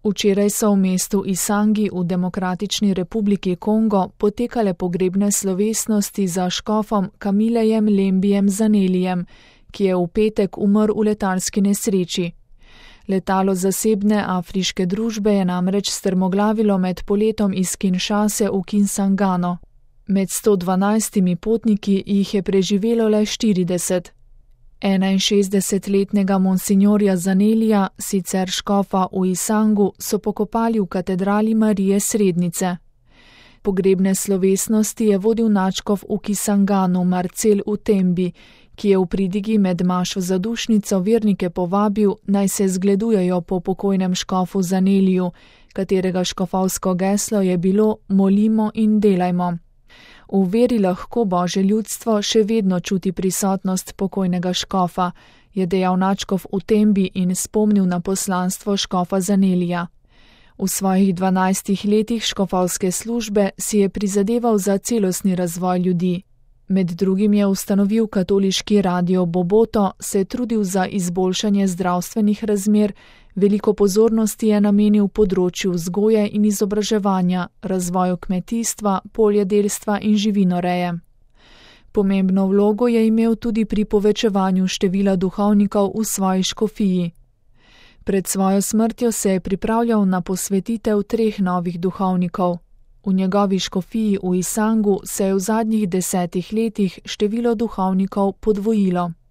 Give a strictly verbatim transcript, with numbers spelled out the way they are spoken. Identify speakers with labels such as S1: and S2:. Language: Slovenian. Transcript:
S1: Včeraj so v mestu Isangi v Demokratični republiki Kongo potekale pogrebne slovesnosti za škofom Kamilejem Lembijem Zanelijem, ki je v petek umrl v letalski nesreči. Letalo zasebne afriške družbe je namreč strmoglavilo med poletom iz Kinshase v Kinsangano. Med sto dvanajstimi potniki jih je preživelo le štirideset. enainšestdesetletnega monsinjorja Zanelija, sicer škofa v Isangu, so pokopali v katedrali Marije Srednice. Pogrebne slovesnosti je vodil nadškof v Kisanganu Marcel Utembi, ki je v pridigi med mašo zadušnico vernike povabil, naj se zgledujejo po pokojnem škofu Zaneliju, katerega škofovsko geslo je bilo Molimo in delajmo. V veri lahko Božje ljudstvo še vedno čuti prisotnost pokojnega škofa, je dejal nadškof Utembi in spomnil na poslanstvo škofa Zanelija. V svojih dvanajstih letih škofovske službe si je prizadeval za celostni razvoj ljudi. Med drugim je ustanovil katoliški radio Boboto, se trudil za izboljšanje zdravstvenih razmer, veliko pozornosti je namenil področju vzgoje in izobraževanja, razvoju kmetijstva, poljedelstva in živinoreje. Pomembno vlogo je imel tudi pri povečevanju števila duhovnikov v svoji škofiji. Pred svojo smrtjo se je pripravljal na posvetitev treh novih duhovnikov. V njegovi škofiji v Isangu se je v zadnjih desetih letih število duhovnikov podvojilo.